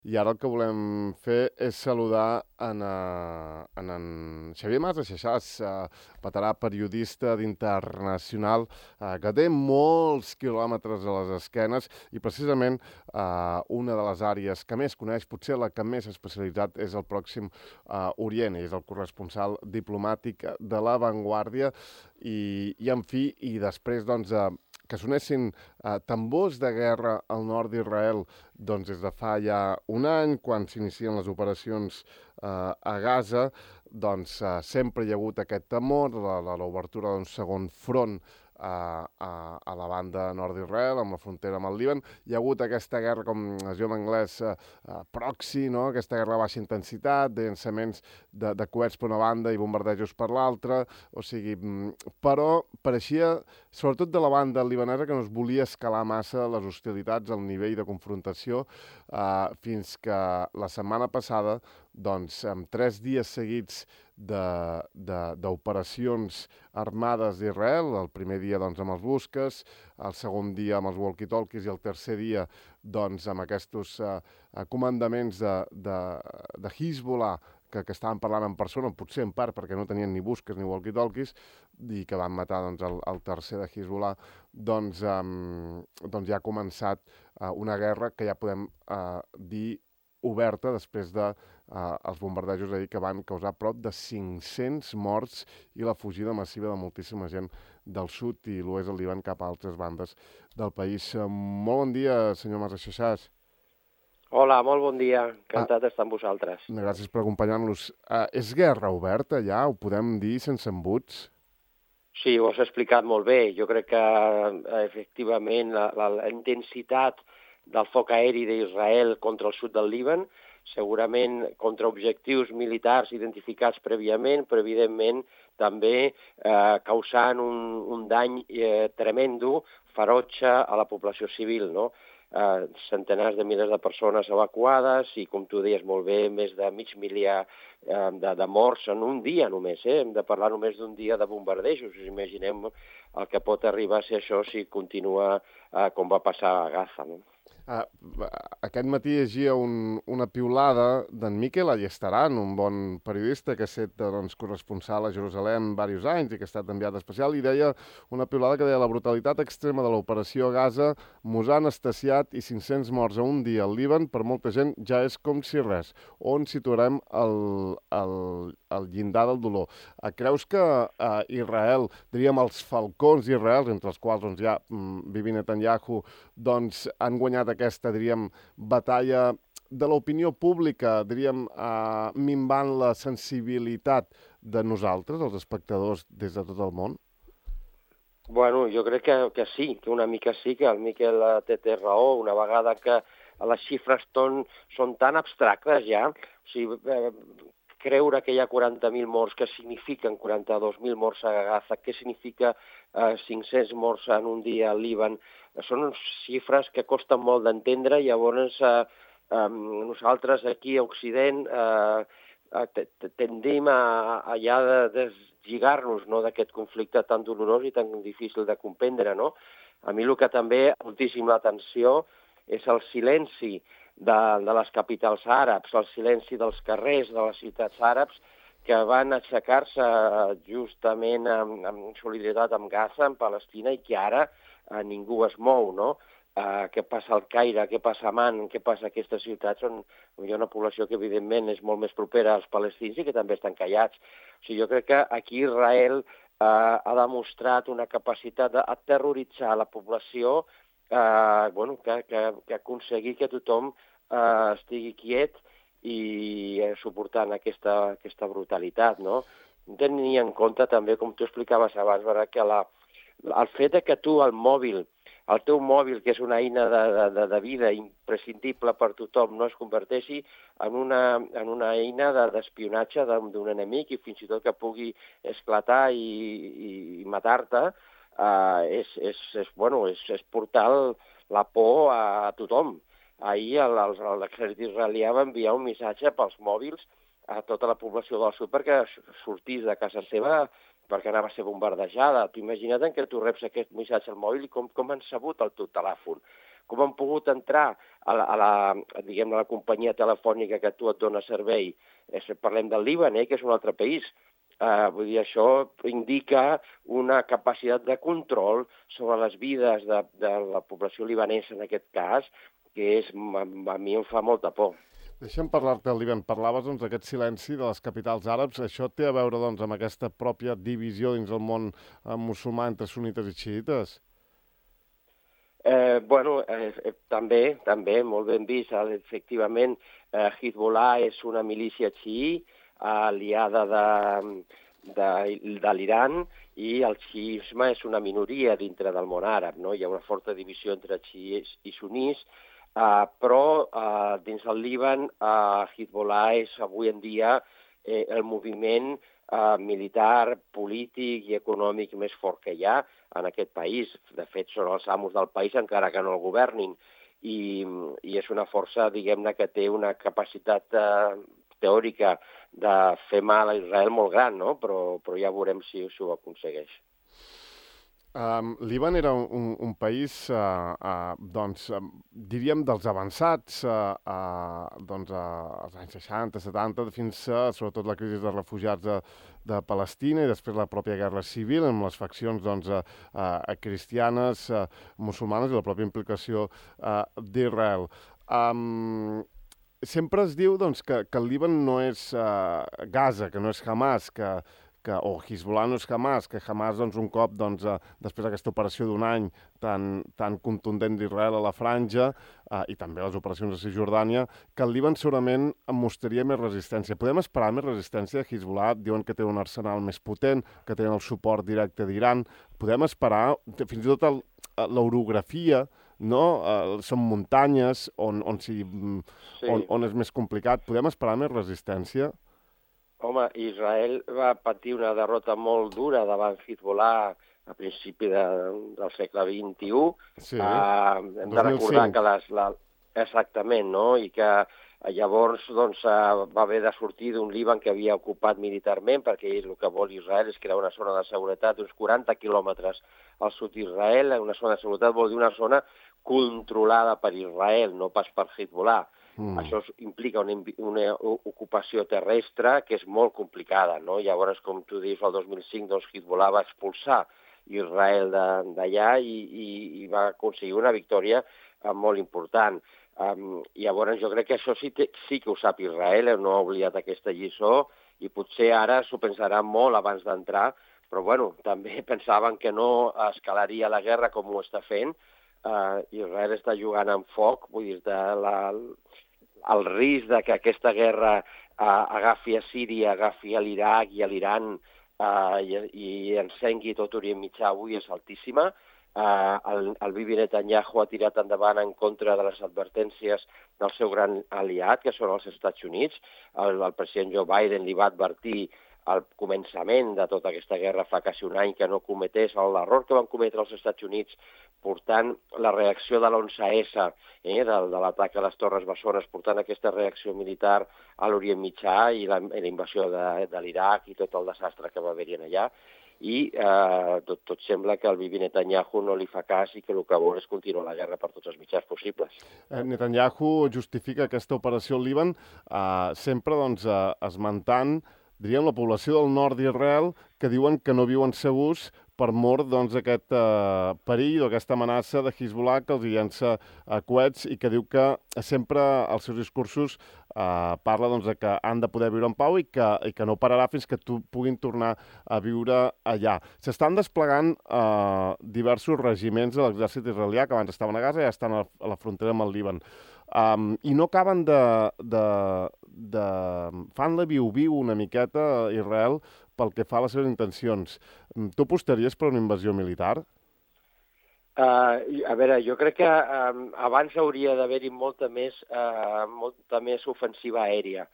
I ara el que volem fer és saludar en Xavier Mas Aixexàs, veterà periodista d'Internacional, que té molts quilòmetres a les esquenes i precisament una de les àrees que més coneix, potser la que més especialitzat, és el Pròxim Orient. És el corresponsal diplomàtic de La Vanguardia i en fi, i després, doncs, que sonessin tambors de guerra al nord d'Israel doncs des de fa ja un any, quan s'inicien les operacions a Gaza, doncs sempre hi ha hagut aquest temor de l'obertura d'un segon front a la banda nord d'Israel, amb la frontera amb el Líban. Hi ha hagut aquesta guerra, com es diu en anglès, proxy, no? Aquesta guerra de baixa intensitat, de llançaments de coets per una banda i bombardejos per l'altra, o sigui, però pareixia, sobretot de la banda libanesa, que no es volia escalar massa les hostilitats al nivell de confrontació, fins que la setmana passada, doncs, amb 3 dies seguits d'operacions armades d'Israel, el primer dia doncs, amb els busques, el segon dia amb els walkie-talkies i el tercer dia doncs, amb aquests comandaments de Hezbollah que estaven parlant en persona, potser en part perquè no tenien ni busques ni walkie-talkies, i que van matar doncs, el tercer de Hezbollah, doncs ja ha començat una guerra que ja podem dir oberta després de els bombardejos ahir, que van causar prop de 500 morts i la fugida massiva de moltíssima gent del sud i l'oest del Líban cap a altres bandes del país. Molt bon dia, senyor Mas Aixexàs. Hola, molt bon dia. Encantat d'estar amb vosaltres. Gràcies per acompanyar-nos. És guerra oberta ja? Ho podem dir sense embuts? Sí, ho has explicat molt bé. Jo crec que, efectivament, la intensitat del foc aeri d'Israel contra el sud del Líban, segurament contra objectius militars identificats prèviament, però evidentment també causant un dany tremendo, ferotge a la població civil, no? Centenars de milers de persones evacuades i, com tu deies molt bé, més de mig miliar de morts en un dia només. Hem de parlar només d'un dia de bombardejos. Imaginem el que pot arribar a ser això si continua com va passar a Gaza, no? Aquest matí llegia una piulada d'en Miquel Allestaran, un bon periodista que ha estat doncs, corresponsal a Jerusalem diversos anys i que ha estat enviat especial, i deia una piulada que deia: la brutalitat extrema de l'operació a Gaza mos ha anestesiat i 500 morts a un dia al Líban per molta gent ja és com si res. On situarem el llindar del dolor? Creus que Israel, diríem els falcons d'Israel, entre els quals doncs, hi ha Bibi Netanyahu, doncs han guanyat aquesta, diríem, batalla de l'opinió pública, diríem, minvant la sensibilitat de nosaltres, els espectadors, des de tot el món? Bueno, jo crec que sí, que una mica sí, que el Miquel té raó, una vegada que les xifres són tan abstractes ja, o sigui, creure que hi ha 40.000 morts, que signifiquen 42.000 morts a Gaza, què significa 500 morts en un dia al Líban, són xifres que costen molt d'entendre, i llavors nosaltres aquí a Occident tendim a ja deslligar-nos, no, d'aquest conflicte tan dolorós i tan difícil de comprendre, no? A mi el que també moltíssim l'atenció és el silenci de les capitals àrabs, el silenci dels carrers de les ciutats àrabs, que van aixecar-se justament en solidaritat amb Gaza, amb Palestina, i que ara ningú es mou, no? Què passa al Caire, què passa a Amman, què passa a aquestes ciutats on hi ha una població que evidentment és molt més propera als palestins i que també estan callats. O sigui, jo crec que aquí Israel ha demostrat una capacitat d'aterroritzar la població, que aconseguir que tothom estigui quiet i suportant aquesta brutalitat, no? Tenir en compte també, com tu explicaves abans, que el fet que tu el teu mòbil, que és una eina de vida imprescindible per tothom, no es converteixi en una eina d'espionatge d'un enemic i fins i tot que pugui esclatar i matar-te, és portar la por a tothom. Ahir l'exèrcit israelià va enviar un missatge pels mòbils a tota la població del sud perquè sortís de casa seva, perquè anava a ser bombardejada. Tu imagina't que tu reps aquest missatge al mòbil i com han sabut el teu telèfon, com han pogut entrar diguem, a la companyia telefònica que a tu et dona servei. Parlem del Líban, que és un altre país. Vull dir, això indica una capacitat de control sobre les vides de la població libanesa en aquest cas, que a mi em fa molta por. Deixa'm parlar-te del Líban. Parlaves d'aquest silenci de les capitals àrabs. Això té a veure amb aquesta pròpia divisió dins el món musulmà entre sunites i xiites? També, molt ben vist. Efectivament, Hezbollah és una milícia xií, aliada de l'Iran, i el xiisme és una minoria dintre del món àrab, no? Hi ha una forta divisió entre xiís i sunís, però dins del Líban Hezbollah és avui en dia el moviment militar, polític i econòmic més fort que hi ha en aquest país. De fet, són els amos del país encara que no el governin. I és una força, diguem-ne, que té una capacitat teòrica de fer mal a Israel molt gran, no? Però ja veurem si ho aconsegueix. Líban era un país, diríem, dels avançats als anys 60, 70, fins a, sobretot, la crisi de refugiats de Palestina i després la pròpia guerra civil amb les faccions cristianes, musulmanes i la pròpia implicació d'Israel. Sempre es diu que el Líban no és Gaza, que no és Hamas, o Hezbollah no és Hamas, que Hamas, un cop, després d'aquesta operació d'un any tan contundent d'Israel a la franja, i també les operacions a Cisjordània, que el Líban segurament mostraria més resistència. Podem esperar més resistència de Hezbollah? Diuen que té un arsenal més potent, que tenen el suport directe d'Iran. Podem esperar, fins i tot l'orografia, no? Són muntanyes on és més complicat. Podem esperar més resistència? Home, Israel va patir una derrota molt dura davant Hezbollah a principi del segle XXI. Sí, hem de recordar que exactament, no? I que llavors va haver de sortir d'un Líban que havia ocupat militarment, perquè el que vol Israel és crear una zona de seguretat d'uns 40 quilòmetres al sud d'Israel. Una zona de seguretat vol dir una zona controlada per Israel, no pas per Hezbollah. Això implica una ocupació terrestre que és molt complicada, no? Llavors, com tu dius, el 2005 Hezbollah va expulsar Israel d'allà i va aconseguir una victòria molt important. Llavors, jo crec que això sí que ho sap Israel, no ha oblidat aquesta lliçó, i potser ara s'ho pensarà molt abans d'entrar, però bueno, també pensaven que no escalaria la guerra com ho està fent. Israel està jugant amb foc, vull dir, el risc de que aquesta guerra agafi a Síria, agafi a l'Iraq i a l'Iran i encengui tot Orient Mitjà avui és altíssima. El Bibi Netanyahu ha tirat endavant en contra de les advertències del seu gran aliat, que són els Estats Units. El president Joe Biden li va advertir al començament de tota aquesta guerra fa quasi un any que no cometés l'error que van cometre els Estats Units portant la reacció de l'11S, de l'atac a les Torres Bessones, portant aquesta reacció militar a l'Orient Mitjà i la invasió de l'Iraq i tot el desastre que va haver-hi allà. I tot sembla que el Bibi Netanyahu no li fa cas i que el que vol és continuar la guerra per tots els mitjans possibles. Netanyahu justifica aquesta operació al Líban sempre esmentant, diríem, la població del nord d'Israel, que diuen que no viuen segurs per mor d'aquest perill o aquesta amenaça de Hezbollah que els llença coets i que diu que sempre als seus discursos parla que han de poder viure en pau i que no pararà fins que puguin tornar a viure allà. S'estan desplegant diversos regiments de l'exèrcit israelià que abans estaven a Gaza i ja estan a la frontera amb el Líban. I no acaben fan la viu-viu una miqueta a Israel pel que fa a les seves intencions. Tu apostaries per una invasió militar? A veure, jo crec que abans hauria d'haver-hi molta més ofensiva aèria.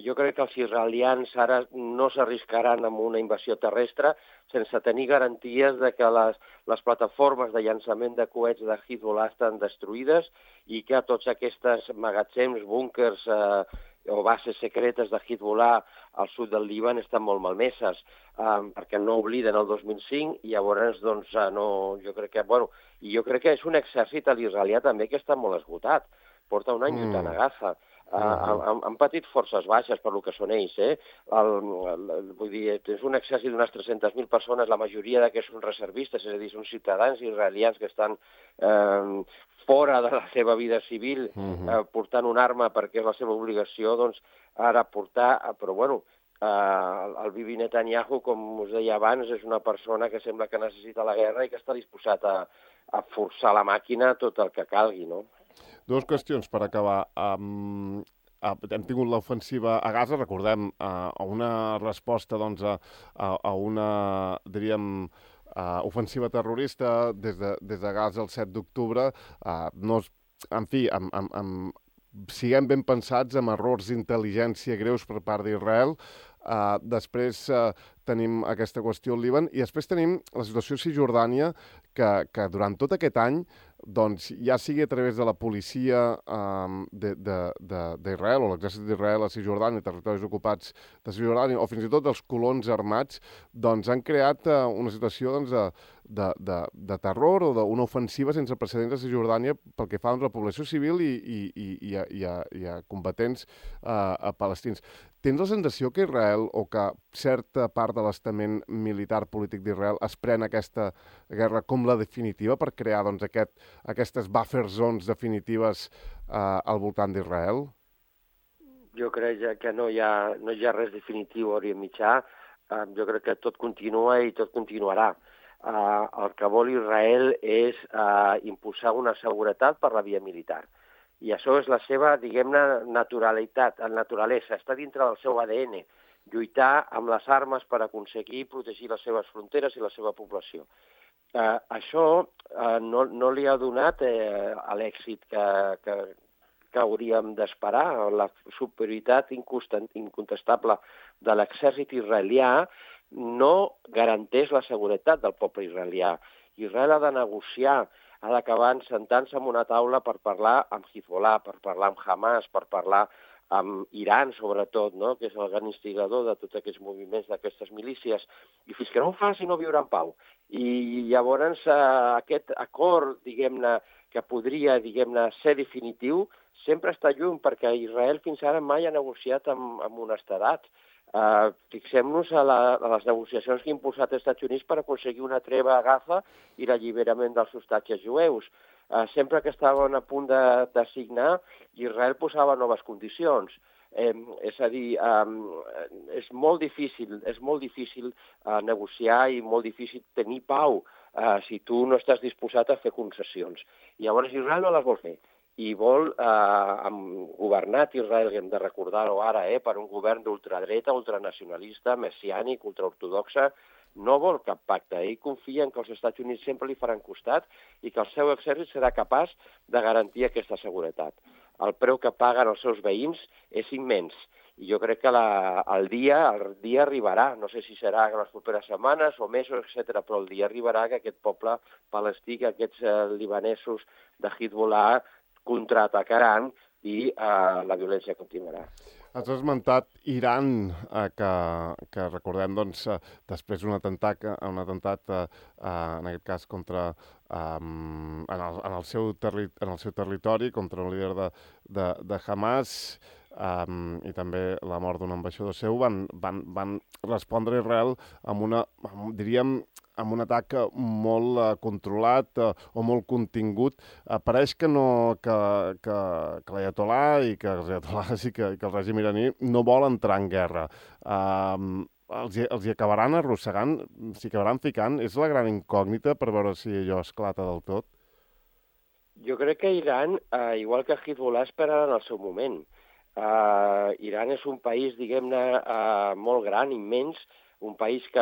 Jo crec que els israelians ara no s'arriscaran amb una invasió terrestre sense tenir garanties de que les plataformes de llançament de coets de Hezbollah estan destruïdes i que tots aquests magatzems, búnkers o bases secretes de Hezbollah al sud del Líban estan molt malmeses, perquè no obliden el 2005 i llavors, doncs, jo crec que és un exèrcit a l'israelià també que està molt esgotat. Porta un any lluitant a Gaza. Han patit forces baixes per lo que són ells, vull dir, és un exèrcit d'unes 300.000 persones, la majoria d'aquests són reservistes, és a dir, són ciutadans israelians que estan fora de la seva vida civil, portant una arma perquè és la seva obligació, doncs ara portar, però bueno, el Bibi Netanyahu, com us deia abans, és una persona que sembla que necessita la guerra i que està disposat a forçar la màquina tot el que calgui, no? Dues qüestions per acabar. Hem tingut l'ofensiva a Gaza, recordem, una resposta doncs, a una, diríem, ofensiva terrorista des de Gaza el 7 d'octubre. En fi, siguem ben pensats amb errors d'intel·ligència greus per part d'Israel. Després tenim aquesta qüestió al Líban i després tenim la situació a Cisjordània que durant tot aquest any, doncs, ja sigui a través de la policia d'Israel o l'exèrcit d'Israel a Cisjordània, territoris ocupats de Cisjordània, o fins i tot els colons armats, doncs han creat una situació de terror o d'una ofensiva sense precedents a Cisjordània pel que fa a la població civil i a combatents palestins. Tens la sensació que Israel o que certa part de l'estament militar polític d'Israel es pren aquesta guerra com la definitiva per crear doncs, aquestes buffer zones definitives al voltant d'Israel? Jo crec que no hi ha res definitiu a Orient Mitjà. Jo crec que tot continua i tot continuarà. El que vol Israel és impulsar una seguretat per la via militar. I això és la seva, diguem-ne, naturalesa. Està dintre del seu ADN. Lluitar amb les armes per aconseguir protegir les seves fronteres i la seva població. Això no li ha donat l'èxit que hauríem d'esperar. La superioritat incontestable de l'exèrcit israelià no garanteix la seguretat del poble israelià. Israel ha de negociar, ha d'acabar sentant-se en una taula per parlar amb Hezbollah, per parlar amb Hamas, per parlar amb Iran, sobretot, no? Que és el gran instigador de tots aquests moviments d'aquestes milícies. I fins que no ho faci no viurà en pau. I llavors aquest acord, diguem-ne, que podria, diguem-ne, ser definitiu, sempre està lluny, perquè Israel fins ara mai ha negociat amb honestedat. Fixem-nos a les negociacions que ha impulsat els Estats Units per aconseguir una treva a Gaza i l'alliberament dels hostatges jueus. Sempre que estaven a punt de signar, Israel posava noves condicions. És a dir, és molt difícil negociar i molt difícil tenir pau si tu no estàs disposat a fer concessions. I llavors Israel no les vol fer. I vol, governat Israel, que hem de recordar-ho ara, per un govern d'ultradreta, ultranacionalista, messiànic, ultraortodoxa, no vol cap pacte. Ell confia en que els Estats Units sempre li faran costat i que el seu exèrcit serà capaç de garantir aquesta seguretat. El preu que paguen els seus veïns és immens. I jo crec que el dia arribarà, no sé si serà en les properes setmanes o mesos, etc., però el dia arribarà que aquest poble palestí, que aquests libanesos de Hezbollah contraatacaran i la violència continuarà. Has esmentat Iran, que recordem, doncs, després d'un atemptat, en aquest cas, contra en el seu territori, contra un líder de Hamas, i també la mort d'un ambaixador seu, van respondre a Israel amb un atac molt controlat o molt contingut. Pareix que l'Aiatolà i que els Aiatolàs i que el règim iraní no vol entrar en guerra. Els hi acabaran arrossegant, s'hi acabaran ficant? És la gran incògnita per veure si allò esclata del tot? Jo crec que Iran, igual que Hezbollah, esperaran el seu moment. Iran és un país, diguem-ne, molt gran, immens, un país que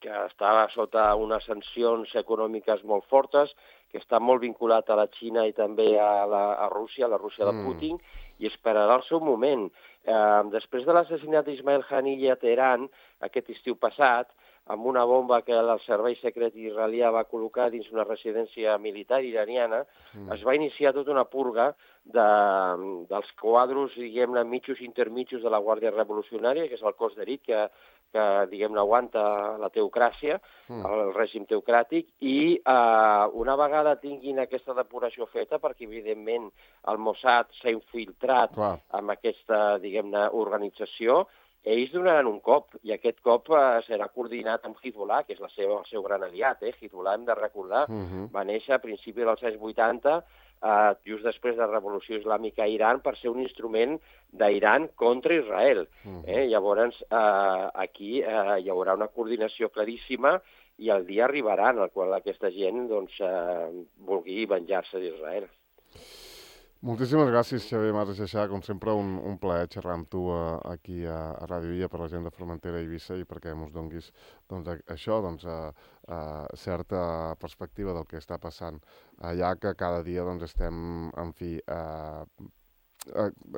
està sota unes sancions econòmiques molt fortes, que està molt vinculat a la Xina i també a Rússia, la Rússia de Putin, i esperarà el seu moment. Després de l'assassinat d'Ismail Haniyeh a Teheran, aquest estiu passat, amb una bomba que el servei secret israelià va col·locar dins una residència militar iraniana, es va iniciar tota una purga dels quadros, diguem-ne, mitjos i intermitjos de la Guàrdia Revolucionària, que és el cos d'elit que diguem-ne, aguanta la teocràcia, el règim teocràtic, i una vegada tinguin aquesta depuració feta, perquè evidentment el Mossad s'ha infiltrat amb aquesta, diguem-ne, organització, ells donaran un cop, i aquest cop serà coordinat amb Hezbollah, que és el seu gran aliat. Hezbollah, hem de recordar, va néixer a principis dels anys 80, just després de la Revolució Islàmica a Iran, per ser un instrument d'Iran contra Israel. Llavors, aquí hi haurà una coordinació claríssima i el dia arribarà en el qual aquesta gent vulgui venjar-se d'Israel. Moltíssimes gràcies, Xavier Mas Aixeixà. Com sempre, un plaer xerrar amb tu aquí a Ràdio Illa per la gent de Formentera i Eivissa i perquè ens donguis això, certa perspectiva del que està passant allà, que cada dia estem, en fi,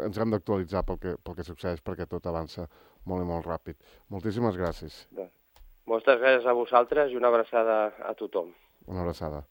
ens hem d'actualitzar pel que succeeix, perquè tot avança molt i molt ràpid. Moltíssimes gràcies. Moltes gràcies a vosaltres i una abraçada a tothom. Una abraçada.